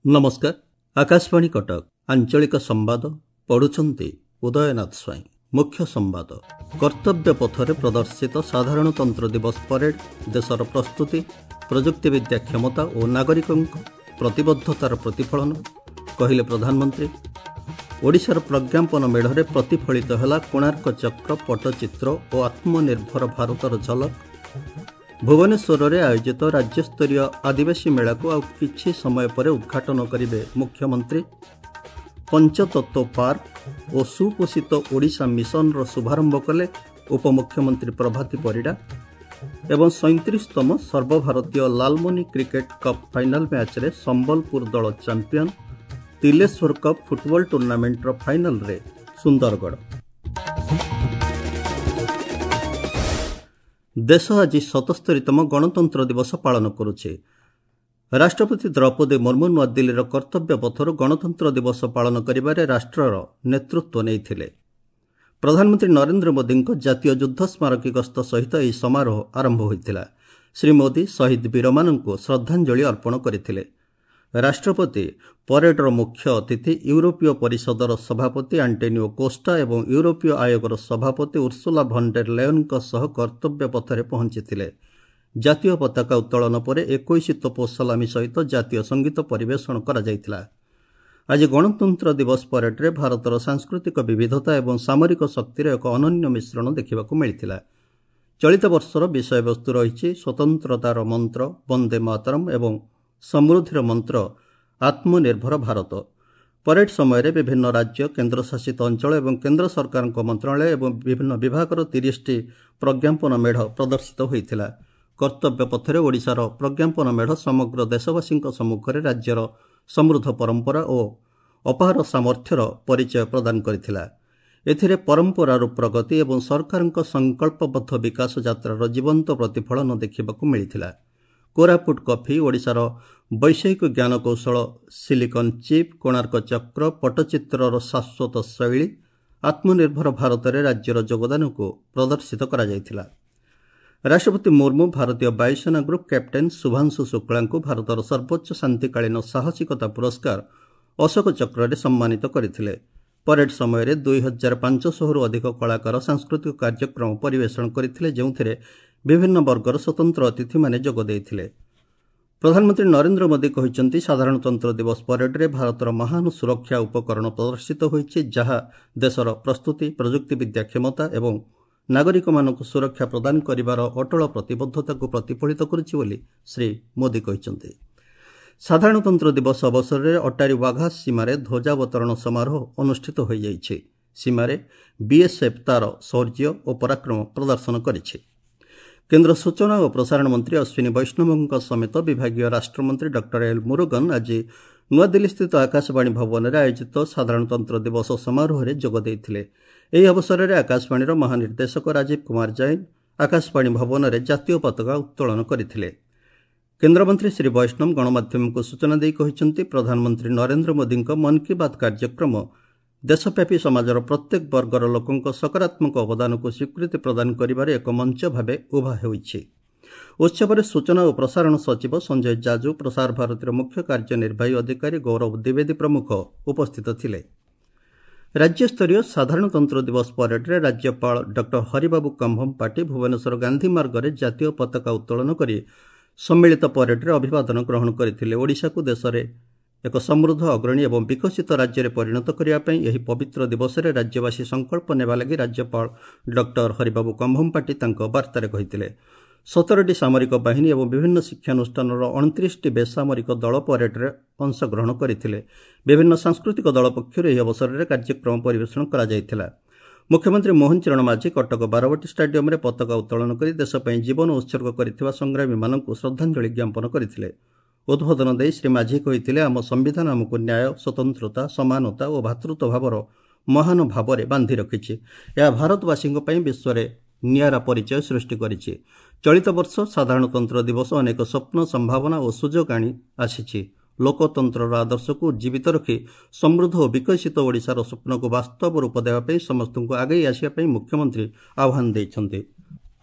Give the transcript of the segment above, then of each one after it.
ନମସ୍କାର, ଆକାଶବାଣୀ କଟକ, ଆଞ୍ଚଳିକ ସମ୍ବାଦ ପଢୁଛନ୍ତି ଉଦୟନାଥ ସ୍ୱାଇଁ। ମୁଖ୍ୟ ସମ୍ବାଦ। କର୍ତ୍ତବ୍ୟ ପଥରେ ପ୍ରଦର୍ଶିତ ସାଧାରଣତନ୍ତ୍ର ଦିବସ ପରେଡ୍ ଦେଶର ପ୍ରସ୍ତୁତି, ପ୍ରଯୁକ୍ତିବିଦ୍ୟା କ୍ଷମତା ଓ ନାଗରିକଙ୍କ ପ୍ରତିବଦ୍ଧତାର ପ୍ରତିଫଳନ, କହିଲେ ପ୍ରଧାନମନ୍ତ୍ରୀ। ଓଡ଼ିଶାର ପ୍ରଜ୍ଞାପନ ମେଢ଼ରେ ପ୍ରତିଫଳିତ ହେଲା କୋଣାର୍କ ଚକ୍ର, ପଟ୍ଟଚିତ୍ର ଓ ଆତ୍ମନିର୍ଭର ଭାରତର ଝଲକ। ଭୁବନେଶ୍ୱରରେ ଆୟୋଜିତ ରାଜ୍ୟସ୍ତରୀୟ ଆଦିବାସୀ ମେଳାକୁ ଆଉ କିଛି ସମୟ ପରେ ଉଦ୍ଘାଟନ କରିବେ ମୁଖ୍ୟମନ୍ତ୍ରୀ। ପଞ୍ଚତତ୍ତ୍ୱ ପାର୍କ ଓ ସୁପୋଷିତ ଓଡ଼ିଶା ମିଶନର ଶୁଭାରମ୍ଭ କଲେ ଉପମୁଖ୍ୟମନ୍ତ୍ରୀ ପ୍ରଭାତୀ ପରିଡ଼ା। ଏବଂ 37ତମ ସର୍ବଭାରତୀୟ ଲାଲମନି କ୍ରିକେଟ୍ କପ୍ ଫାଇନାଲ ମ୍ୟାଚ୍ରେ ସମ୍ବଲପୁର ଦଳ ଚାମ୍ପିୟନ। ତିଲେଶ୍ୱର କପ୍ ଫୁଟବଲ ଟୁର୍ଣ୍ଣାମେଣ୍ଟର ଫାଇନାଲରେ ସୁନ୍ଦରଗଡ଼। ଦେଶ ଆଜି 77ତମ ଗଣତନ୍ତ୍ର ଦିବସ ପାଳନ କରୁଛି। ରାଷ୍ଟ୍ରପତି ଦ୍ରୌପଦୀ ମୁର୍ମୁ ନୂଆଦିଲ୍ଲୀର କର୍ତ୍ତବ୍ୟ ପଥରୁ ଗଣତନ୍ତ୍ର ଦିବସ ପାଳନ କରିବାରେ ରାଷ୍ଟ୍ରର ନେତୃତ୍ୱ ନେଇଥିଲେ। ପ୍ରଧାନମନ୍ତ୍ରୀ ନରେନ୍ଦ୍ର ମୋଦିଙ୍କ ଜାତୀୟ ଯୁଦ୍ଧ ସ୍ମାରକୀ ଗସ୍ତ ସହିତ ଏହି ସମାରୋହ ଆରମ୍ଭ ହୋଇଥିଲା। ଶ୍ରୀ ମୋଦି ଶହୀଦ ବୀରମାନଙ୍କୁ ଶ୍ରଦ୍ଧାଞ୍ଜଳି ଅର୍ପଣ କରିଥିଲେ। ରାଷ୍ଟ୍ରପତି ପରେଡର ମୁଖ୍ୟ ଅତିଥି ୟୁରୋପୀୟ ପରିଷଦର ସଭାପତି ଆଣ୍ଟୋନିଓ କୋଷ୍ଟା ଏବଂ ୟୁରୋପୀୟ ଆୟୋଗର ସଭାପତି ଉର୍ସୁଲା ଭନ୍ ଡେର୍ ଲେୟନଙ୍କ ସହ କର୍ତ୍ତବ୍ୟ ପଥରେ ପହଞ୍ଚିଥିଲେ। ଜାତୀୟ ପତାକା ଉତ୍ତୋଳନ ପରେ 21 ତୋପ ସଲାମି ସହିତ ଜାତୀୟ ସଙ୍ଗୀତ ପରିବେଷଣ କରାଯାଇଥିଲା। ଆଜି ଗଣତନ୍ତ୍ର ଦିବସ ପରେଡରେ ଭାରତର ସାଂସ୍କୃତିକ ବିବିଧତା ଏବଂ ସାମରିକ ଶକ୍ତିର ଏକ ଅନନ୍ୟ ମିଶ୍ରଣ ଦେଖିବାକୁ ମିଳିଥିଲା। ଚଳିତ ବର୍ଷର ବିଷୟବସ୍ତୁ ରହିଛି ସ୍ୱତନ୍ତ୍ରତାର ମନ୍ତ୍ର ବନ୍ଦେ ମାତରମ୍ ଏବଂ ସମୃଦ୍ଧିର ମନ୍ତ୍ର ଆତ୍ମନିର୍ଭର ଭାରତ। ପରେଡ୍ ସମୟରେ ବିଭିନ୍ନ ରାଜ୍ୟ, କେନ୍ଦ୍ରଶାସିତ ଅଞ୍ଚଳ ଏବଂ କେନ୍ଦ୍ର ସରକାରଙ୍କ ମନ୍ତ୍ରଣାଳୟ ଏବଂ ବିଭିନ୍ନ ବିଭାଗର 30ଟି ପ୍ରଜ୍ଞାପନ ମେଢ଼ ପ୍ରଦର୍ଶିତ ହୋଇଥିଲା। କର୍ତ୍ତବ୍ୟ ପଥରେ ଓଡ଼ିଶାର ପ୍ରଜ୍ଞାପନ ମେଢ଼ ସମଗ୍ର ଦେଶବାସୀଙ୍କ ସମ୍ମୁଖରେ ରାଜ୍ୟର ସମୃଦ୍ଧ ପରମ୍ପରା ଓ ଅପାର ସାମର୍ଥ୍ୟର ପରିଚୟ ପ୍ରଦାନ କରିଥିଲା। ଏଥିରେ ପରମ୍ପରାରୁ ପ୍ରଗତି ଏବଂ ସରକାରଙ୍କ ସଂକଳ୍ପବଦ୍ଧ ବିକାଶ ଯାତ୍ରାର ଜୀବନ୍ତ ପ୍ରତିଫଳନ ଦେଖିବାକୁ ମିଳିଥିଲା। କୋରାପୁଟ କଫି, ଓଡ଼ିଶାର ବୈଷୟିକ ଜ୍ଞାନକୌଶଳ, ସିଲିକନ୍ ଚିପ୍, କୋଣାର୍କ ଚକ୍ର, ପଟ୍ଟଚିତ୍ରର ଶାଶ୍ୱତ ଶୈଳୀ, ଆତ୍ମନିର୍ଭର ଭାରତରେ ରାଜ୍ୟର ଯୋଗଦାନକୁ ପ୍ରଦର୍ଶିତ କରାଯାଇଥିଲା। ରାଷ୍ଟ୍ରପତି ମୁର୍ମୁ ଭାରତୀୟ ବାୟୁସେନା ଗ୍ରୁପ୍ କ୍ୟାପ୍ଟେନ୍ ଶୁଭାଂଶୁ ଶୁକ୍ଳାଙ୍କୁ ଭାରତର ସର୍ବୋଚ୍ଚ ଶାନ୍ତିକାଳୀନ ସାହସିକତା ପୁରସ୍କାର ଅଶୋକ ଚକ୍ରରେ ସମ୍ମାନିତ କରିଥିଲେ। ପରେଡ୍ ସମୟରେ 2500ରୁ ଅଧିକ କଳାକାର ସାଂସ୍କୃତିକ କାର୍ଯ୍ୟକ୍ରମ ପରିବେଷଣ କରିଥିଲେ, ଯେଉଁଥିରେ ବିଭିନ୍ନ ବର୍ଗର ସ୍ୱତନ୍ତ୍ର ଅତିଥିମାନେ ଯୋଗ ଦେଇଥିଲେ। ପ୍ରଧାନମନ୍ତ୍ରୀ ନରେନ୍ଦ୍ର ମୋଦି କହିଛନ୍ତି, ସାଧାରଣତନ୍ତ୍ର ଦିବସ ପରେଡରେ ଭାରତର ମହାନ ସୁରକ୍ଷା ଉପକରଣ ପ୍ରଦର୍ଶିତ ହୋଇଛି, ଯାହା ଦେଶର ପ୍ରସ୍ତୁତି, ପ୍ରଯୁକ୍ତିବିଦ୍ୟା କ୍ଷମତା ଏବଂ ନାଗରିକମାନଙ୍କୁ ସୁରକ୍ଷା ପ୍ରଦାନ କରିବାର ଅଟଳ ପ୍ରତିବଦ୍ଧତାକୁ ପ୍ରତିଫଳିତ କରୁଛି ବୋଲି ଶ୍ରୀ ମୋଦି କହିଛନ୍ତି। ସାଧାରଣତନ୍ତ୍ର ଦିବସ ଅବସରରେ ଅଟାରୀ ୱାଘା ସୀମାରେ ଧ୍ୱଜାବତରଣ ସମାରୋହ ଅନୁଷ୍ଠିତ ହୋଇଯାଇଛି। ସୀମାରେ ବିଏସ୍ଏଫ୍ ତାର ଶୌର୍ଯ୍ୟ ଓ ପରାକ୍ରମ ପ୍ରଦର୍ଶନ କରିଛି। କେନ୍ଦ୍ର ସୂଚନା ଓ ପ୍ରସାରଣ ମନ୍ତ୍ରୀ ଅଶ୍ୱିନୀ ବୈଷ୍ଣବଙ୍କ ସମେତ ବିଭାଗୀୟ ରାଷ୍ଟ୍ରମନ୍ତ୍ରୀ ଡକ୍ଟର ଏଲ୍ ମୁରୁଗନ୍ ଆଜି ନୂଆଦିଲ୍ଲୀସ୍ଥିତ ଆକାଶବାଣୀ ଭବନରେ ଆୟୋଜିତ ସାଧାରଣତନ୍ତ୍ର ଦିବସ ସମାରୋହରେ ଯୋଗ ଦେଇଥିଲେ। ଏହି ଅବସରରେ ଆକାଶବାଣୀର ମହାନିର୍ଦ୍ଦେଶକ ରାଜୀବ କୁମାର ଜୈନ ଆକାଶବାଣୀ ଭବନରେ ଜାତୀୟ ପତାକା ଉତ୍ତୋଳନ କରିଥିଲେ। କେନ୍ଦ୍ରମନ୍ତ୍ରୀ ଶ୍ରୀ ବୈଷ୍ଣବ ଗଣମାଧ୍ୟମକୁ ସୂଚନା ଦେଇ କହିଛନ୍ତି, ପ୍ରଧାନମନ୍ତ୍ରୀ ନରେନ୍ଦ୍ର ମୋଦିଙ୍କ ମନ୍ କି ବାତ୍ କାର୍ଯ୍ୟକ୍ରମ ଦେଶବ୍ୟାପୀ ସମାଜର ପ୍ରତ୍ୟେକ ବର୍ଗର ଲୋକଙ୍କ ସକାରାତ୍ମକ ଅବଦାନକୁ ସ୍ୱୀକୃତି ପ୍ରଦାନ କରିବାରେ ଏକ ମଞ୍ଚ ଭାବେ ଉଭା ହୋଇଛି। ଉତ୍ସବରେ ସୂଚନା ଓ ପ୍ରସାରଣ ସଚିବ ସଞ୍ଜୟ ଜାଜୁ, ପ୍ରସାର ଭାରତୀର ମୁଖ୍ୟ କାର୍ଯ୍ୟନିର୍ବାହୀ ଅଧିକାରୀ ଗୌରବ ଦ୍ୱିବେଦୀ ପ୍ରମୁଖ ଉପସ୍ଥିତ ଥିଲେ। ରାଜ୍ୟସ୍ତରୀୟ ସାଧାରଣତନ୍ତ୍ର ଦିବସ ପରେଡରେ ରାଜ୍ୟପାଳ ଡକ୍ଟର ହରିବାବୁ କମ୍ଭମପାଟି ଭୁବନେଶ୍ୱର ଗାନ୍ଧୀ ମାର୍ଗରେ ଜାତୀୟ ପତାକା ଉତ୍ତୋଳନ କରି ସମ୍ମିଳିତ ପରେଡରେ ଅଭିବାଦନ ଗ୍ରହଣ କରିଥିଲେ। ଓଡ଼ିଶାକୁ ଦେଶରେ ଏକ ସମୃଦ୍ଧ, ଅଗ୍ରଣୀ ଏବଂ ବିକଶିତ ରାଜ୍ୟରେ ପରିଣତ କରିବା ପାଇଁ ଏହି ପବିତ୍ର ଦିବସରେ ରାଜ୍ୟବାସୀ ସଂକଳ୍ପ ନେବା ଲାଗି ରାଜ୍ୟପାଳ ଡକ୍ଟର ହରିବାବୁ କମ୍ଭମପାଟି ତାଙ୍କ ବାର୍ତ୍ତାରେ କହିଥିଲେ। 17ଟି ସାମରିକ ବାହିନୀ ଏବଂ ବିଭିନ୍ନ ଶିକ୍ଷାନୁଷ୍ଠାନର 29ଟି ବେସାମରିକ ଦଳ ପରେଡରେ ଅଂଶଗ୍ରହଣ କରିଥିଲେ। ବିଭିନ୍ନ ସାଂସ୍କୃତିକ ଦଳ ପକ୍ଷରୁ ଏହି ଅବସରରେ କାର୍ଯ୍ୟକ୍ରମ ପରିବେଷଣ କରାଯାଇଥିଲା। ମୁଖ୍ୟମନ୍ତ୍ରୀ ମୋହନ ଚରଣ ମାଝୀ କଟକ ବାରବାଟୀ ଷ୍ଟାଡିୟମରେ ପତାକା ଉତ୍ତୋଳନ କରି ଦେଶ ପାଇଁ ଜୀବନ ଉତ୍ସର୍ଗ କରିଥିବା ସଂଗ୍ରାମୀମାନଙ୍କୁ ଶ୍ରଦ୍ଧାଞ୍ଜଳି ଜ୍ଞାପନ କରିଥିଲେ। ଉଦ୍ବୋଧନ ଦେଇ ଶ୍ରୀ ମାଝୀ କହିଥିଲେ, ଆମ ସମ୍ବିଧାନ ଆମକୁ ନ୍ୟାୟ, ସ୍ୱତନ୍ତ୍ରତା, ସମାନତା ଓ ଭ୍ରାତୃତ୍ୱ ଭାବର ମହାନ ଭାବରେ ବାନ୍ଧି ରଖିଛି। ଏହା ଭାରତବାସୀଙ୍କ ପାଇଁ ବିଶ୍ୱରେ ନିଆରା ପରିଚୟ ସୃଷ୍ଟି କରିଛି। ଚଳିତ ବର୍ଷ ସାଧାରଣତନ୍ତ୍ର ଦିବସ ଅନେକ ସ୍ୱପ୍ନ, ସମ୍ଭାବନା ଓ ସୁଯୋଗ ଆଣି ଆସିଛି। ଲୋକତନ୍ତ୍ରର ଆଦର୍ଶକୁ ଜୀବିତ ରଖି ସମୃଦ୍ଧ ଓ ବିକଶିତ ଓଡ଼ିଶାର ସ୍ୱପ୍ନକୁ ବାସ୍ତବ ରୂପ ଦେବା ପାଇଁ ସମସ୍ତଙ୍କୁ ଆଗେଇ ଆସିବା ପାଇଁ ମୁଖ୍ୟମନ୍ତ୍ରୀ ଆହ୍ୱାନ ଦେଇଛନ୍ତି।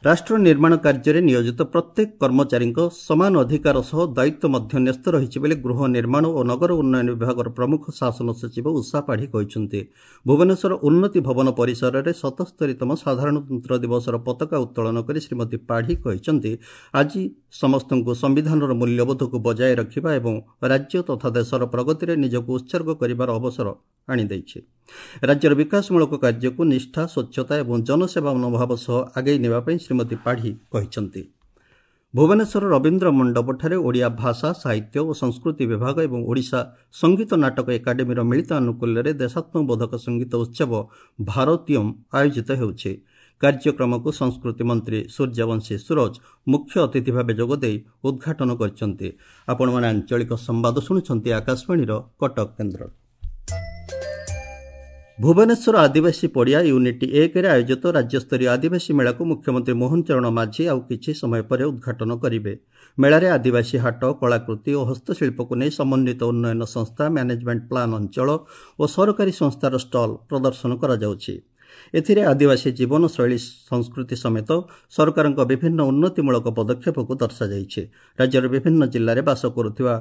ରାଷ୍ଟ୍ର ନିର୍ମାଣ କାର୍ଯ୍ୟରେ ନିୟୋଜିତ ପ୍ରତ୍ୟେକ କର୍ମଚାରୀଙ୍କ ସମାନ ଅଧିକାର ସହ ଦାୟିତ୍ୱ ମଧ୍ୟ ନ୍ୟସ୍ତ ରହିଛି ବୋଲି ଗୃହ ନିର୍ମାଣ ଓ ନଗର ଉନ୍ନୟନ ବିଭାଗର ପ୍ରମୁଖ ଶାସନ ସଚିବ ଉଷା ପାଢ଼ୀ କହିଛନ୍ତି। ଭୁବନେଶ୍ୱର ଉନ୍ନତି ଭବନ ପରିସରରେ 77ତମ ସାଧାରଣତନ୍ତ୍ର ଦିବସର ପତାକା ଉତ୍ତୋଳନ କରି ଶ୍ରୀମତୀ ପାଢ଼ୀ କହିଛନ୍ତି, ଆଜି ସମସ୍ତଙ୍କୁ ସମ୍ବିଧାନର ମୂଲ୍ୟବୋଧକୁ ବଜାୟ ରଖିବା ଏବଂ ରାଜ୍ୟ ତଥା ଦେଶର ପ୍ରଗତିରେ ନିଜକୁ ଉତ୍ସର୍ଗ କରିବାର ଅବସର ଆଣିଦେଇଛି। ରାଜ୍ୟର ବିକାଶମୂଳକ କାର୍ଯ୍ୟକୁ ନିଷ୍ଠା, ସ୍ୱଚ୍ଛତା ଏବଂ ଜନସେବା ମନୋଭାବ ସହ ଆଗେଇ ନେବା ପାଇଁ ଶ୍ରୀମତୀ ପାଢ଼ୀ କହିଛନ୍ତି। ଭୁବନେଶ୍ୱର ରବୀନ୍ଦ୍ର ମଣ୍ଡପଠାରେ ଓଡ଼ିଆ ଭାଷା, ସାହିତ୍ୟ ଓ ସଂସ୍କୃତି ବିଭାଗ ଏବଂ ଓଡ଼ିଶା ସଙ୍ଗୀତ ନାଟକ ଏକାଡେମୀର ମିଳିତ ଆନୁକୂଲ୍ୟରେ ଦେଶାତ୍ମବୋଧକ ସଙ୍ଗୀତ ଉତ୍ସବ ଭାରତୀୟମ୍ ଆୟୋଜିତ ହେଉଛି। କାର୍ଯ୍ୟକ୍ରମକୁ ସଂସ୍କୃତି ମନ୍ତ୍ରୀ ସୂର୍ଯ୍ୟବଂଶୀ ସୂରଜ ମୁଖ୍ୟ ଅତିଥି ଭାବେ ଯୋଗଦେଇ ଉଦ୍ଘାଟନ କରିଛନ୍ତି। ଆପଣମାନେ ଆଞ୍ଚଳିକ ସମ୍ବାଦ ଶୁଣୁଛନ୍ତି ଆକାଶବାଣୀର କଟକ କେନ୍ଦ୍ର। ଭୁବନେଶ୍ୱର ଆଦିବାସୀ ପଡ଼ିଆ ୟୁନିଟ୍ 1ରେ ଆୟୋଜିତ ରାଜ୍ୟସ୍ତରୀୟ ଆଦିବାସୀ ମେଳାକୁ ମୁଖ୍ୟମନ୍ତ୍ରୀ ମୋହନ ଚରଣ ମାଝୀ ଆଉ କିଛି ସମୟ ପରେ ଉଦ୍ଘାଟନ କରିବେ। ମେଳାରେ ଆଦିବାସୀ ହାଟ, କଳାକୃତି ଓ ହସ୍ତଶିଳ୍ପକୁ ନେଇ ସମନ୍ୱିତ ଉନ୍ନୟନ ସଂସ୍ଥା, ମ୍ୟାନେଜମେଣ୍ଟ ପ୍ଲାନ୍ ଅଞ୍ଚଳ ଓ ସରକାରୀ ସଂସ୍ଥାର ଷ୍ଟଲ୍ ପ୍ରଦର୍ଶନ କରାଯାଉଛି। ଏଥିରେ ଆଦିବାସୀ ଜୀବନଶୈଳୀ, ସଂସ୍କୃତି ସମେତ ସରକାରଙ୍କ ବିଭିନ୍ନ ଉନ୍ନତିମୂଳକ ପଦକ୍ଷେପକୁ ଦର୍ଶାଯାଇଛି। ରାଜ୍ୟର ବିଭିନ୍ନ ଜିଲ୍ଲାରେ ବାସ କରୁଥିବା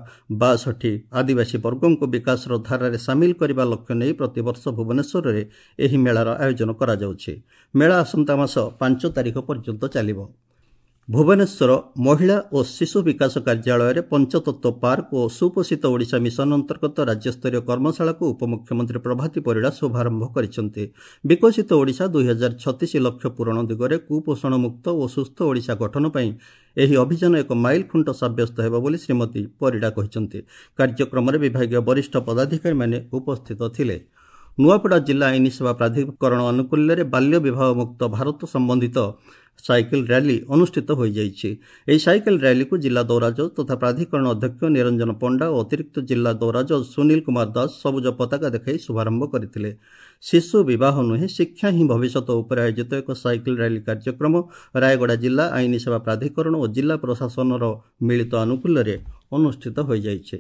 62 ଆଦିବାସୀ ବର୍ଗଙ୍କୁ ବିକାଶର ଧାରାରେ ସାମିଲ କରିବା ଲକ୍ଷ୍ୟ ନେଇ ପ୍ରତିବର୍ଷ ଭୁବନେଶ୍ୱରରେ ଏହି ମେଳାର ଆୟୋଜନ କରାଯାଉଛି। ମେଳା ଆସନ୍ତା ମାସ 5 ତାରିଖ ପର୍ଯ୍ୟନ୍ତ ଚାଲିବ। ଭୁବନେଶ୍ୱର ମହିଳା ଓ ଶିଶୁ ବିକାଶ କାର୍ଯ୍ୟାଳୟରେ ପଞ୍ଚତତ୍ତ୍ୱ ପାର୍କ ଓ ସୁପୋଷିତ ଓଡ଼ିଶା ମିଶନ ଅନ୍ତର୍ଗତ ରାଜ୍ୟସ୍ତରୀୟ କର୍ମଶାଳାକୁ ଉପମୁଖ୍ୟମନ୍ତ୍ରୀ ପ୍ରଭାତୀ ପରିଡ଼ା ଶୁଭାରମ୍ଭ କରିଛନ୍ତି। ବିକଶିତ ଓଡ଼ିଶା 2036 ଲକ୍ଷ୍ୟ ପୂରଣ ଦିଗରେ କୁପୋଷଣ ମୁକ୍ତ ଓ ସୁସ୍ଥ ଓଡ଼ିଶା ଗଠନ ପାଇଁ ଏହି ଅଭିଯାନ ଏକ ମାଇଲଖୁଣ୍ଟ ସାବ୍ୟସ୍ତ ହେବ ବୋଲି ଶ୍ରୀମତୀ ପରିଡ଼ା କହିଛନ୍ତି। କାର୍ଯ୍ୟକ୍ରମରେ ବିଭାଗୀୟ ବରିଷ୍ଠ ପଦାଧିକାରୀମାନେ ଉପସ୍ଥିତ ଥିଲେ। ନୂଆପଡ଼ା ଜିଲ୍ଲା ଆଇନ ସେବା ପ୍ରାଧିକରଣ ଆନୁକୂଲ୍ୟରେ ବାଲ୍ୟ ବିବାହ ମୁକ୍ତ ଭାରତ ସମ୍ବନ୍ଧିତ ସାଇକେଲ ର୍ୟାଲି ଅନୁଷ୍ଠିତ ହୋଇଯାଇଛି। ଏହି ସାଇକେଲ ର୍ୟାଲିକୁ ଜିଲ୍ଲା ଦୌରାଜଜ ତଥା ପ୍ରାଧିକରଣ ଅଧ୍ୟକ୍ଷ ନିରଞ୍ଜନ ପଣ୍ଡା ଓ ଅତିରିକ୍ତ ଜିଲ୍ଲା ଦୌରାଜଜ ସୁନୀଲ କୁମାର ଦାସ ସବୁଜ ପତାକା ଦେଖାଇ ଶୁଭାରମ୍ଭ କରିଥିଲେ। ଶିଶୁ ବିବାହ ନୁହେଁ, ଶିକ୍ଷା ହିଁ ଭବିଷ୍ୟତ ଉପରେ ଆୟୋଜିତ ଏକ ସାଇକେଲ ର୍ୟାଲି କାର୍ଯ୍ୟକ୍ରମ ରାୟଗଡ଼ା ଜିଲ୍ଲା ଆଇନ ସେବା ପ୍ରାଧିକରଣ ଓ ଜିଲ୍ଲା ପ୍ରଶାସନର ମିଳିତ ଆନୁକୂଲ୍ୟରେ ଅନୁଷ୍ଠିତ ହୋଇଯାଇଛି।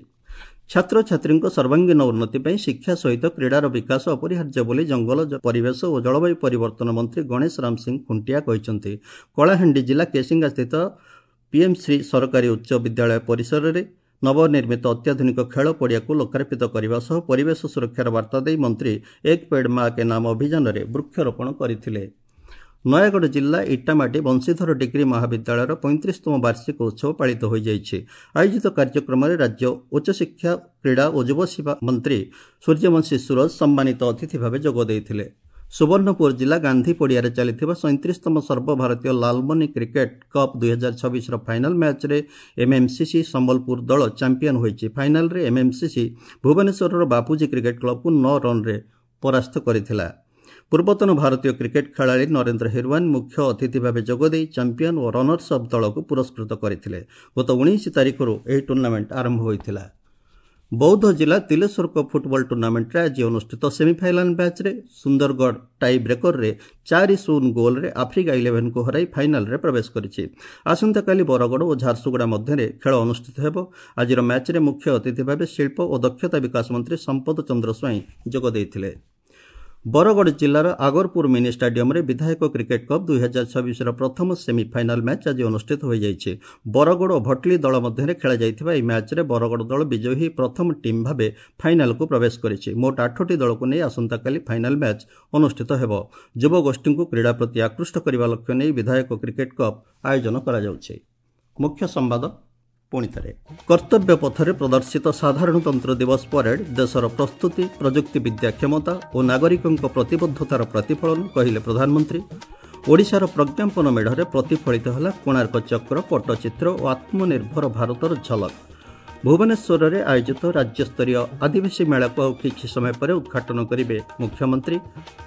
ଛାତ୍ରଛାତ୍ରୀଙ୍କ ସର୍ବାଙ୍ଗୀନ ଉନ୍ନତି ପାଇଁ ଶିକ୍ଷା ସହିତ କ୍ରୀଡ଼ାର ବିକାଶ ଅପରିହାର୍ଯ୍ୟ ବୋଲି ଜଙ୍ଗଲ, ପରିବେଶ ଓ ଜଳବାୟୁ ପରିବର୍ତ୍ତନ ମନ୍ତ୍ରୀ ଗଣେଶ ରାମ ସିଂ ଖୁଣ୍ଟିଆ କହିଛନ୍ତି। କଳାହାଣ୍ଡି ଜିଲ୍ଲା କେସିଙ୍ଗାସ୍ଥିତ ପିଏମ୍ଶ୍ରୀ ସରକାରୀ ଉଚ୍ଚ ବିଦ୍ୟାଳୟ ପରିସରରେ ନବନିର୍ମିତ ଅତ୍ୟାଧୁନିକ ଖେଳ ପଡ଼ିଆକୁ ଲୋକାର୍ପିତ କରିବା ସହ ପରିବେଶ ସୁରକ୍ଷାର ବାର୍ତ୍ତା ଦେଇ ମନ୍ତ୍ରୀ ଏକ ପେଡ୍ ମା କେ ନାମ ଅଭିଯାନରେ ବୃକ୍ଷରୋପଣ କରିଥିଲେ। ନୟାଗଡ଼ ଜିଲ୍ଲା ଇଟାମାଟି ବଂଶୀଧର ଡିଗ୍ରୀ ମହାବିଦ୍ୟାଳୟର 35ତମ ବାର୍ଷିକ ଉତ୍ସବ ପାଳିତ ହୋଇଯାଇଛି। ଆୟୋଜିତ କାର୍ଯ୍ୟକ୍ରମରେ ରାଜ୍ୟ ଉଚ୍ଚଶିକ୍ଷା, କ୍ରୀଡ଼ା ଓ ଯୁବସେବା ମନ୍ତ୍ରୀ ସୂର୍ଯ୍ୟବଂଶୀ ସୂରଜ ସମ୍ମାନିତ ଅତିଥି ଭାବେ ଯୋଗ ଦେଇଥିଲେ। ସୁବର୍ଣ୍ଣପୁର ଜିଲ୍ଲା ଗାନ୍ଧୀ ପଡ଼ିଆରେ ଚାଲିଥିବା 37ତମ ସର୍ବଭାରତୀୟ ଲାଲମନି କ୍ରିକେଟ୍ କପ୍ 2026ର ଫାଇନାଲ୍ ମ୍ୟାଚ୍ରେ ଏମ୍ଏମ୍ସିସି ସମ୍ବଲପୁର ଦଳ ଚାମ୍ପିୟନ୍ ହୋଇଛି। ଫାଇନାଲ୍ରେ ଏମ୍ଏମ୍ସିସି ଭୁବନେଶ୍ୱରର ବାପୁଜୀ କ୍ରିକେଟ୍ କ୍ଲବକୁ 9 ରନ୍ରେ ପରାସ୍ତ କରିଥିଲା। ପୂର୍ବତନ ଭାରତୀୟ କ୍ରିକେଟ୍ ଖେଳାଳି ନରେନ୍ଦ୍ର ହିରୱାନ ମୁଖ୍ୟ ଅତିଥି ଭାବେ ଯୋଗଦେଇ ଚାମ୍ପିୟନ୍ ଓ ରନର୍ସ ଅପ୍ ଦଳକୁ ପୁରସ୍କୃତ କରିଥିଲେ। ଗତ 19 ତାରିଖରୁ ଏହି ଟୁର୍ଣ୍ଣାମେଣ୍ଟ ଆରମ୍ଭ ହୋଇଥିଲା। ବୌଦ୍ଧ ଜିଲ୍ଲା ତିଲେଶ୍ୱର କପ୍ ଫୁଟବଲ ଟୁର୍ଣ୍ଣାମେଣ୍ଟରେ ଆଜି ଅନୁଷ୍ଠିତ ସେମିଫାଇନାଲ୍ ମ୍ୟାଚ୍ରେ ସୁନ୍ଦରଗଡ଼ ଟାଇ ବ୍ରେକରରେ 4-0 ଗୋଲ୍ରେ ଆଫ୍ରିକା 11କୁ ହରାଇ ଫାଇନାଲ୍ରେ ପ୍ରବେଶ କରିଛି। ଆସନ୍ତାକାଲି ବରଗଡ଼ ଓ ଝାରସୁଗୁଡ଼ା ମଧ୍ୟରେ ଖେଳ ଅନୁଷ୍ଠିତ ହେବ। ଆଜିର ମ୍ୟାଚ୍ରେ ମୁଖ୍ୟ ଅତିଥି ଭାବେ ଶିଳ୍ପ ଓ ଦକ୍ଷତା ବିକାଶ ମନ୍ତ୍ରୀ ସମ୍ପଦ ଚନ୍ଦ୍ର ସ୍ୱାଇଁ ଯୋଗ ଦେଇଥିଲେ। ବରଗଡ଼ ଜିଲ୍ଲାର ଆଗରପୁର ମିନି ଷ୍ଟାଡିୟମରେ ବିଧାୟକ କ୍ରିକେଟ୍ କପ୍ 2026ର ପ୍ରଥମ ସେମିଫାଇନାଲ୍ ମ୍ୟାଚ୍ ଆଜି ଅନୁଷ୍ଠିତ ହୋଇଯାଇଛି। ବରଗଡ଼ ଓ ଭଟଲି ଦଳ ମଧ୍ୟରେ ଖେଳାଯାଇଥିବା ଏହି ମ୍ୟାଚ୍ରେ ବରଗଡ଼ ଦଳ ବିଜୟୀ ହୋଇ ପ୍ରଥମ ଟିମ୍ ଭାବେ ଫାଇନାଲକୁ ପ୍ରବେଶ କରିଛି। ମୋଟ 8ଟି ଦଳକୁ ନେଇ ଆସନ୍ତାକାଲି ଫାଇନାଲ୍ ମ୍ୟାଚ୍ ଅନୁଷ୍ଠିତ ହେବ। ଯୁବଗୋଷ୍ଠୀଙ୍କୁ କ୍ରୀଡ଼ା ପ୍ରତି ଆକୃଷ୍ଟ କରିବା ଲକ୍ଷ୍ୟ ନେଇ ବିଧାୟକ କ୍ରିକେଟ୍ କପ୍ ଆୟୋଜନ କରାଯାଉଛି। ମୁଖ୍ୟ ସମ୍ବାଦ ପୁଣି ଥରେ। କର୍ତ୍ତବ୍ୟ ପଥରେ ପ୍ରଦର୍ଶିତ ସାଧାରଣତନ୍ତ୍ର ଦିବସ ପରେଡ୍ ଦେଶର ପ୍ରସ୍ତୁତି, ପ୍ରଯୁକ୍ତିବିଦ୍ୟା କ୍ଷମତା ଓ ନାଗରିକଙ୍କ ପ୍ରତିବଦ୍ଧତାର ପ୍ରତିଫଳନ, କହିଲେ ପ୍ରଧାନମନ୍ତ୍ରୀ। ଓଡ଼ିଶାର ପ୍ରଜ୍ଞାପନ ମେଢ଼ରେ ପ୍ରତିଫଳିତ ହେଲା କୋଣାର୍କ ଚକ୍ର, ପଟ୍ଟଚିତ୍ର ଓ ଆତ୍ମନିର୍ଭର ଭାରତର ଝଲକ। ଭୁବନେଶ୍ୱରରେ ଆୟୋଜିତ ରାଜ୍ୟସ୍ତରୀୟ ଆଦିବାସୀ ମେଳାକୁ ଆଉ କିଛି ସମୟ ପରେ ଉଦ୍ଘାଟନ କରିବେ ମୁଖ୍ୟମନ୍ତ୍ରୀ।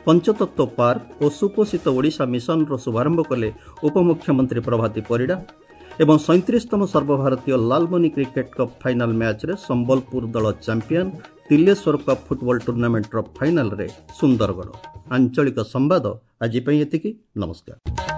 ପଞ୍ଚତତ୍ତ୍ୱ ପାର୍କ ଓ ସୁପୋଷିତ ଓଡ଼ିଶା ମିଶନର ଶୁଭାରମ୍ଭ କଲେ ଉପମୁଖ୍ୟମନ୍ତ୍ରୀ ପ୍ରଭାତୀ ପରିଡ଼ା। ଏବଂ 37ତମ ସର୍ବଭାରତୀୟ ଲାଲମନି କ୍ରିକେଟ୍ କପ୍ ଫାଇନାଲ୍ ମ୍ୟାଚ୍ରେ ସମ୍ବଲପୁର ଦଳ ଚାମ୍ପିୟନ୍, ତିଲେଶ୍ୱର କପ୍ ଫୁଟବଲ ଟୁର୍ଣ୍ଣାମେଣ୍ଟର ଫାଇନାଲ୍ରେ ସୁନ୍ଦରଗଡ଼। ଆଞ୍ଚଳିକ ସମ୍ବାଦ ଆଜି ପାଇଁ ଏତିକି। ନମସ୍କାର।